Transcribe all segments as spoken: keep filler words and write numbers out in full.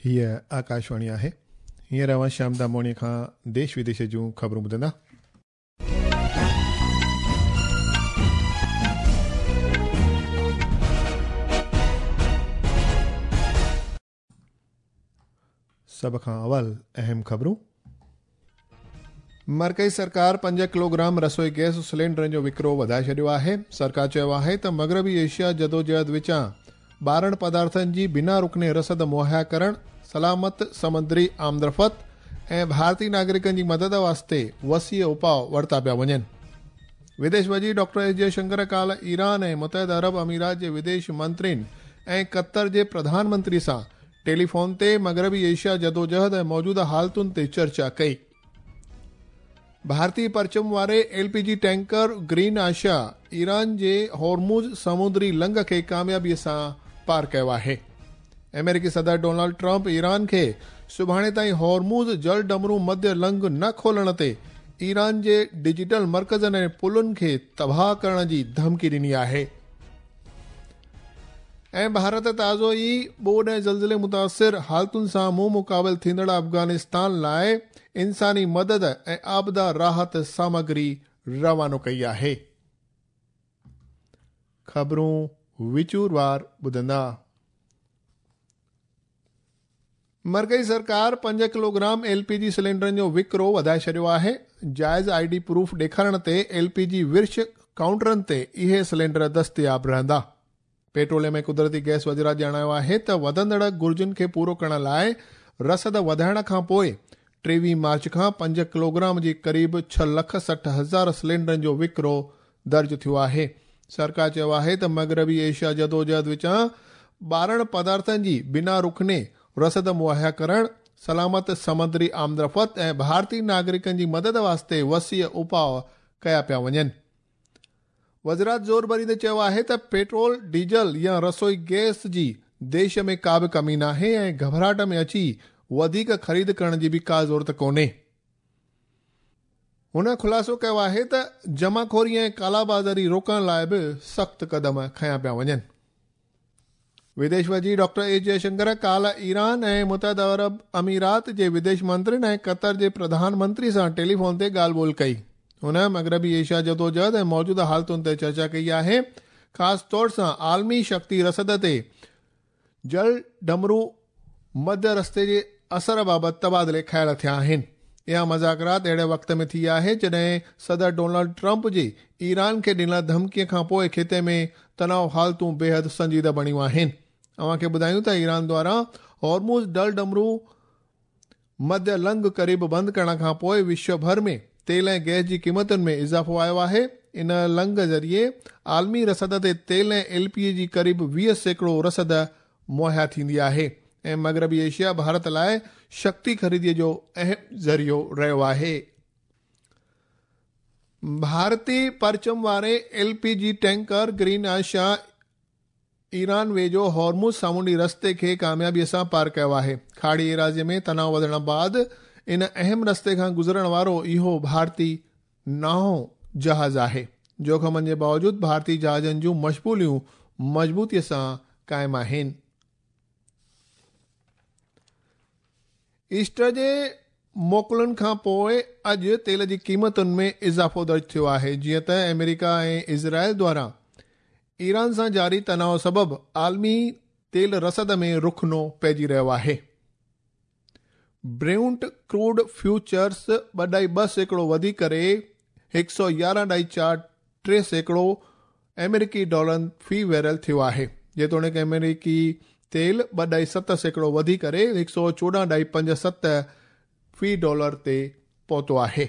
हीअ आकाशवाणी आहे। हींअर अव्हां श्याम दामोणी खां देश विदेश जूं ख़बरूं ॿुधंदा। सभ खां अवल अहम ख़बरूं। मरकज़ी सरकार पंज किलोग्राम रसोई गैस सिलेंडरनि जो विकिरो वधाए छॾियो आहे। सरकार चयो आहे त मग़रबी एशिया जदोजहद विचां ॿारहं पदार्थनि जी बिना रुकने रसद मुहैया करण, सलामत समुद्री आमदरफ़्त ऐं भारतीय नागरिकनि जी मदद वास्ते वसीअ उपाउ वरिता पिया वञनि। विदेश वज़ीर डॉक्टर एस जयशंकर काल्ह ईरान ऐं मुतहद अरब अमीरात जे विदेश मंत्रियुनि ऐं क़तर जे प्रधानमंत्री सां टेलीफोन ते मग़रबी एशिया जदोजहद ऐं मौजूदा हालतुनि ते चर्चा कई। भारतीय परचम वारे L P G tanker Green Asha Iran जे हॉर्मुज़ समुद्री लंघ खे कामयाबीअ सां पार कयो आहे। अमेरिकी सदर डोनाल्ड ट्रंप ईरान खे सुभाणे ताईं हॉर्मुज़ जल डमरू मध्य लंघ न खोलण ते ईरान जे डिजिटल मर्कज़नि ऐं पुलुनि खे तबाह करण जी धमकी ॾिनी आहे। ऐं भारत ताज़ो ई ॿोॾ ऐं ज़लज़िले मुतासिर हालतुनि सां मुंहुं मुक़ाबिल थींदड़ अफ़गानिस्तान लाइ इंसानी मदद ऐं आपदा राहत सामग्री रवानो कई आहे। ख़बरूं विचूरवार ॿुधंदा। मरकज़ी सरकार पंज किलोग्राम एलपीजी सिलेंडरनि जो विकिरो वधाए छॾियो आहे। जाइज़ आईडी प्रूफ ॾेखारण ते एलपीजी विर्छ काउंटरनि ते इहे सिलेंडर दस्तियाब रहंदा। पेट्रोलियम ऐं कुदरती गैस वज़ारत ॼाणायो आहे त वधंदड़ घुर्जुनि खे पूरो करण लाइ रसद वधाइण खां पोइ टेवीह मार्च खां पंज किलोग्राम जे क़रीब छह लख सठि हज़ार सिलेंडरनि जो विकिरो दर्ज थियो आहे। सरकार चयो आहे त मग़रबी एशिया जदोजहद विचां ॿारहं पदार्थनि जी बिना रुकने रसद मुहैया करण, सलामत समुद्री आमदरफ़्त ऐं भारतीय नागरिकनि जी मदद वास्ते वसीअ उपाउ कया पिया वञनि। वज़ारत ज़ोर भरींदे चयो आहे त पेट्रोल, डीजल या रसोई गैस जी देश में का बि कमी नाहे ऐं घबराहट में अची वधीक ख़रीद करण जी बि का ज़रूरत कोन्हे। हुन ख़ुलासो कयो आहे त जमाखोरी ऐं कालाबाज़ारी रोकण लाइ बि सख़्तु क़दम खयां पिया वञनि। विदेश वज़ीर डॉक्टर एस जयशंकर काल्ह ईरान ऐं मुतहद अरब अमीरात जे विदेश मंत्रियुनि ऐं क़तर जे प्रधानमंत्री सां टेलीफोन ते ॻाल्हि ॿोल कई। हुन मग़रबी एशिया जदोजहद ऐं मौजूदा हालतुनि ते चर्चा कई आहे। ख़ासि तौर सां आलमी शक्ति रसद ते जल डमरू मध्य रस्ते जे असर बाबति तबादिले ख़्याल थिया आहिनि। इहा मज़ाकरात अहिड़े वक़्त में थी आहे जॾहिं सदर डोनाल्ड ट्रंप जे ईरान खे ॾिनल धमकीअ खां पोइ ख़िते में तनाव हालतूं बेहद संजीदा बणियूं आहिनि। अव्हांखे ॿुधायूं त ईरान द्वारा हॉर्मुज़ डल डमरू मध्य लंघ क़रीब बंदि करण खां पोइ विश्व भर में तेल ऐं गैस जी क़ीमतुनि में इज़ाफ़ो आयो आहे। इन लंघ ज़रिए आलमी रसद ते तेल ऐं एलपीजी जी क़रीब वीह सैकड़ो रसद मुहैया थींदी आहे ऐं मग़रबी एशिया भारत लाइ शक्ति ख़रीदीअ जो अहम ज़रियो रहियो आहे। भारतीय परचम वारे L P G tanker Green Asha Iran वेझो हॉर्मुज़ सामुंडी रस्ते खे कामयाबीअ सां पार कयो आहे। खाड़ी एराज़ीअ में तनाव वधण बाद इन अहम रस्ते खां गुज़रण वारो इहो भारतीय नाओं जहाज़ आहे। जोख़िमनि जे बावजूद भारतीय जहाज़नि जूं मशगूलियूं मज़बूतीअ सां क़ाइमु आहिनि। ईस्टर जे मोकिलुनि खां पोइ अॼु तेल जी क़ीमतुनि में इज़ाफ़ो दर्ज थियो आहे। जीअं त अमेरिका ऐं इज़राइल द्वारा ईरान सां जारी तनाव सबबु आलमी तेल रसद में रुखनो पइजी रहियो आहे। ब्रेंट क्रूड फ्यूचर्स ॿ ढाई ॿ सैकड़ो वधी करे हिकु सौ यारहं ढाई चारि टे सैकड़ो अमेरिकी डॉलर फी बैरल थियो आहे। जेतोणीकि अमेरिकी तेल ॿ ढाई सत सैकड़ो वधी करे हिकु सौ चोॾहं ढाई पंज सत फी डॉलर ते पहुतो आहे।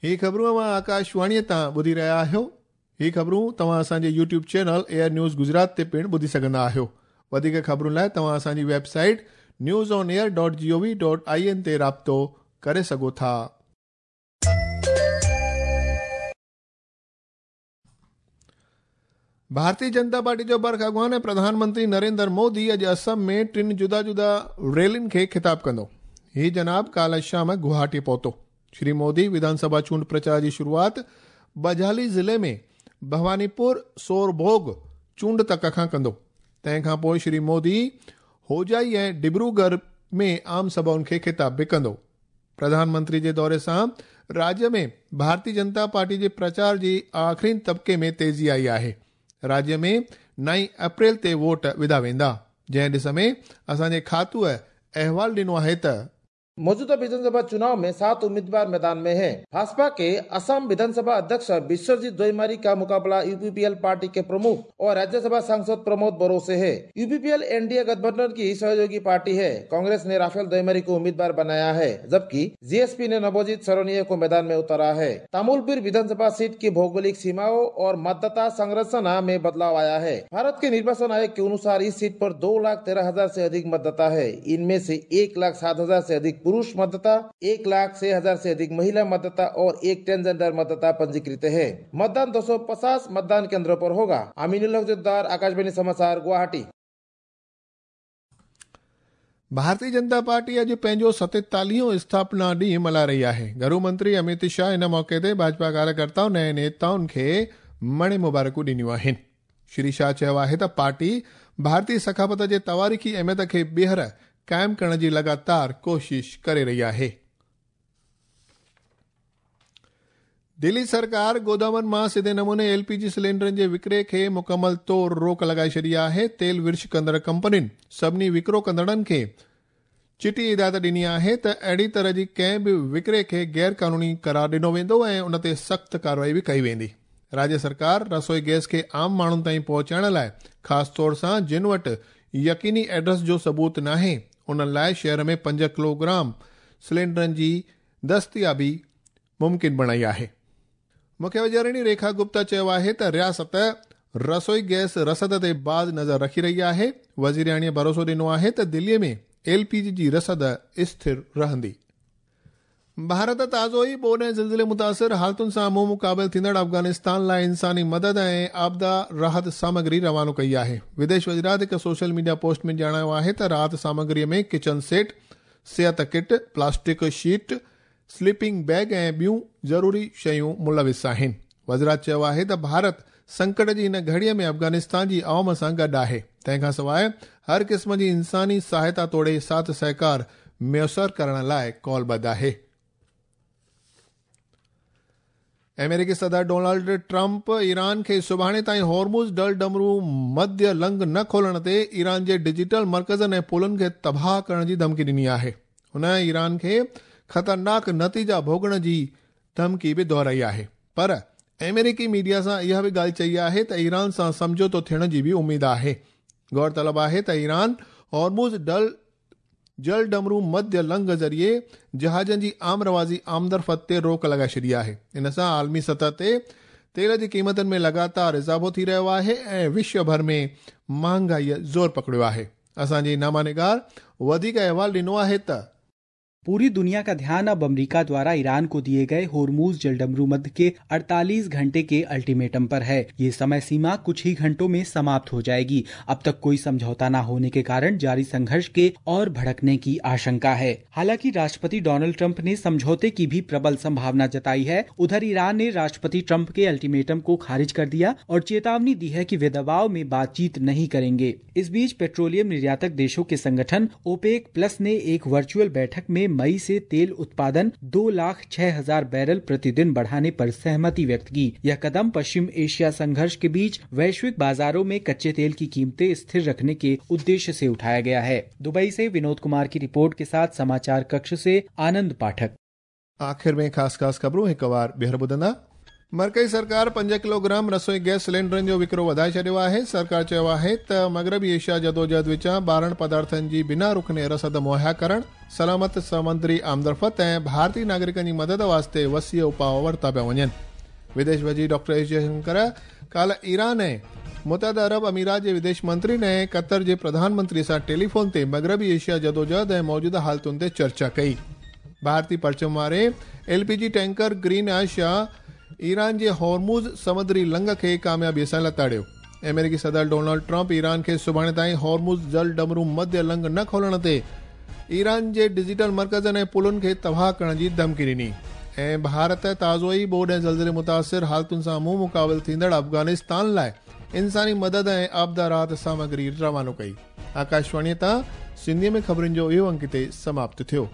हीअ ख़बरूं अव्हां आकाशवाणीअ तां ॿुधी रहिया आहियो। हीअ ख़बरूं तव्हां असांजे YouTube channel Air News Gujarat ते पिणु ॿुधी सघंदा आहियो। वधीक ख़बरुनि लाइ तव्हां असांजी website news on air dot G O V dot I N ते राब्तो करे सघो था। भारतीय जनता पार्टी जो बर्ख अॻुवान ऐं प्रधानमंत्री नरेंद्र मोदी अॼु असम में टिनि जुदा जुदा रैलियुनि खे ख़िताब कंदो। हीअ जनाब काल्ह शाम गुवाहाटी पहुतो। श्री मोदी विधानसभा चूंड प्रचार जी शुरूआत बजाली ज़िले में भवानीपुर सोरभोग चूंड तक खां कंदो। तंहिं खां पोइ श्री मोदी होजाई ऐं डिब्रूगढ़ में आम सभाउनि खे ख़िताब बि कंदो। प्रधानमंत्री जे दौरे सां राज्य में भारतीय जनता पार्टी जे प्रचार जी आख़िरी तबिके में तेज़ी आई आहे। राज्य में नई अप्रैल ते वोट विधा वेंदा, जंहिं ॾिस में असांजे खातूअ अहवाल ॾिनो आहे त मौजूदा विधानसभा चुनाव में सात उम्मीदवार मैदान में हैं। भाजपा के असम विधानसभा अध्यक्ष विश्वजीत दोईमारी का मुकाबला यूपीपीएल पार्टी के प्रमुख और राज्यसभा सांसद प्रमोद बोरो से है। यूपीपीएल एनडीए गठबंधन की सहयोगी पार्टी है। कांग्रेस ने राफेल दोईमारी को उम्मीदवार बनाया है, जबकि जीएसपी ने नवजीत सरनिया को मैदान में उतारा है। तामुलपुर विधानसभा सीट की भौगोलिक सीमाओं और मतदाता संरचना में बदलाव आया है। भारत के निर्वाचन आयोग के अनुसार इस सीट पर दो लाख तेरह हजार से अधिक मतदाता है। इनमें से एक लाख सात हजार से अधिक पुरुष मतदाता, एक लाख छह हजार से अधिक महिला मतदाता और एक ट्रांसजेंडर मतदाता पंजीकृत है। मतदान दो सौ पचास मतदान केंद्रों पर होगा। अमीनुल हक जोद्दार, आकाशवाणी समाचार, गुवाहाटी। भारतीय जनता पार्टी अॼु पंहिंजो सतेतालीहों स्थापना ॾींहुं मल्हाए रही आहे। घरू मंत्री अमित शाह इन मौक़े ते भाजपा कार्यकर्ताउनि ऐं नेताउनि खे मणे मुबारकूं ॾिनियूं आहिनि। श्री शाह चयो आहे त पार्टी भारतीय सक़ाफ़त जे तवारीख़ी अहमियत खे ॿीहर क़ाइमु करण जी लगातार कोशिश करे रही आहे। दिल्ली सरकार गोदामनि मां सिधे नमूने एलपीजी सिलेंडरनि जे विकिरे खे मुकमल तौर रोक लॻाए छॾी आहे। तेल विर्छ कंदड़ कंपनियुनि सभिनी विकिरो कंदड़नि खे चिटी हिदायत ॾिनी आहे त अहिड़ी तरह जी कंहिं बि विकिरे खे गैर कानूनी करार ॾिनो वेंदो ऐं उन ते सख़्तु कार्रवाई बि कई वेंदी। राज्य सरकार रसोई गैस खे आम माण्हुनि ताईं पहुचाइण लाइ ख़ासि तौर सां जिन वटि यकीनी एड्रेस जो सबूत नाहे उन्हनि लाइ शहर में पंज किलोग्राम सिलेंडरनि जी दस्तियाबी मुमकिन बणाई आहे। मुख्य वज़ीराणी रेखा गुप्ता चयो आहे त रियासत रसोई गैस रसद ते बाज़ नज़र रखी रही आहे। वज़ीराणीअ भरोसो ॾिनो आहे त दिल्लीअ में एलपीजी जी रसद स्थिर रहंदी। भारत ताज़ो ई ॿोॾ ऐं ज़िलज़िले मुतासिर हालतुनि सां मुंहुं मुक़ाबिल थींदड़ अफ़गानिस्तान लाइ इंसानी मदद ऐं आपदा राहत सामग्री रवानो कई आहे। विदेश वज़ीरात हिकु सोशल मीडिया पोस्ट में ॼाणायो आहे त राहत सामग्रीअ में किचन सेट, सिहत kit, plastic sheet, sleeping bag ऐं ॿियूं ज़रूरी शयूं मुलविस आहिनि। वज़ीरात चयो आहे त भारत संकट जी हिन घड़ीअ में अफ़गानिस्तान जी अवाम सां गॾु आहे। तंहिंखां सवाइ हर क़िस्म जी इंसानी सहायता तोड़े साथ सहकार मुयसर करण लाइ कॉलबद्ध आहे। अमेरिकी सदर डोनाल्ड ट्रंप ईरान खे सुभाणे ताईं होर्मुज़ डल डमरू मध्य लंघ न खोलण ते ईरान जे डिजिटल मर्कज़नि ऐं पुलनि खे तबाह करण जी धमकी ॾिनी आहे। हुन ईरान खे ख़तरनाक नतीजा भोगण जी धमकी बि दोहराई आहे। पर अमेरिकी मीडिया सां इहा बि ॻाल्हि चई आहे त ईरान सां सम्झौतो थियण जी बि उमेद आहे। गौर तलब आहे त ईरान होर्मुज़ डल जल डमरू मध्य लंघ ज़रिए जहाज़नि जी आम रवाज़ी आमदरफ़त ते रोक लॻाए छॾी आहे। इन सां आलमी सतह ते तेल जी क़ीमतुनि में लगातार इज़ाफ़ो थी रहियो आहे ऐं विश्व भर में महांगाईअ ज़ोर पकड़ियो आहे। असांजे नामानिगार वधीक अहवाल ॾिनो आहे त पूरी दुनिया का ध्यान अब अमेरिका द्वारा ईरान को दिए गए होर्मुज जलडमरू मध्य के अड़तालीस घंटे के अल्टीमेटम पर है। ये समय सीमा कुछ ही घंटों में समाप्त हो जाएगी। अब तक कोई समझौता न होने के कारण जारी संघर्ष के और भड़कने की आशंका है। हालांकि राष्ट्रपति डोनाल्ड ट्रंप ने समझौते की भी प्रबल संभावना जताई है। उधर ईरान ने राष्ट्रपति ट्रंप के अल्टीमेटम को खारिज कर दिया और चेतावनी दी है कि वे दबाव में बातचीत नहीं करेंगे। इस बीच पेट्रोलियम निर्यातक देशों के संगठन ओपेक प्लस ने एक वर्चुअल बैठक में मई से तेल उत्पादन दो लाख छह हजार बैरल प्रतिदिन बढ़ाने पर सहमति व्यक्त की। यह कदम पश्चिम एशिया संघर्ष के बीच वैश्विक बाजारों में कच्चे तेल की कीमतें स्थिर रखने के उद्देश्य से उठाया गया है। दुबई से विनोद कुमार की रिपोर्ट के साथ समाचार कक्ष से आनंद पाठक। आखिर में खास खास खबरूं हिक बार ॿीहर ॿुधंदा। मरकज़ी सरकार पंज किलोग्राम रसोई गैस सिलेंडरनि जो विकिरो वधाए छॾियो आहे। सरकार चयो आहे त मग़रबी एशिया जदोजहद विचां ॿारहं पदार्थनि जी बिना रुकने रसद मुहैया करण, सलामत समुंदरी आमदरफ़त ऐं भारतीय नागरिकनि जी मदद वास्ते वसी उपाउ वरिता पिया वञनि। विदेश वज़ीर डॉक्टर एस जयशंकर काल्हि ईरान ऐं मुतहदा अरब अमीरात जे विदेश मंत्री ऐं क़तर जे प्रधानमंत्री सां टेलीफोन ते मग़रबी एशिया जदोजहद ऐं मौजूदा हालतुनि ते चर्चा कई। भारतीय परचम वारे एलपीजी टैंकर ग्रीन आशा ईरान जे होर्मुज़ समुद्री लंघ खे कामयाबीअ सां लताड़ियो। अमेरिकी सदर डोनाल्ड ट्रंप ईरान खे सुभाणे ताईं होर्मुज़ जल डमरू मध्य लंघ न खोलण ते ईरान जे डिजिटल मर्कज़नि ऐं पुलुनि खे तबाह करण जी धमकी ॾिनी। ऐं भारत ताज़ो ई ॿोॾ ऐं ज़लज़िले मुतासिर हालतुनि सां मुंहुं मुक़ाबिल थींदड़ अफ़गानिस्तान लाइ इंसानी मदद ऐं आपदा राहत सामग्री रवानो कई। आकाशवाणीअ तां सिंधीअ में ख़बरुनि जो इहो अंक हिते समाप्त थियो।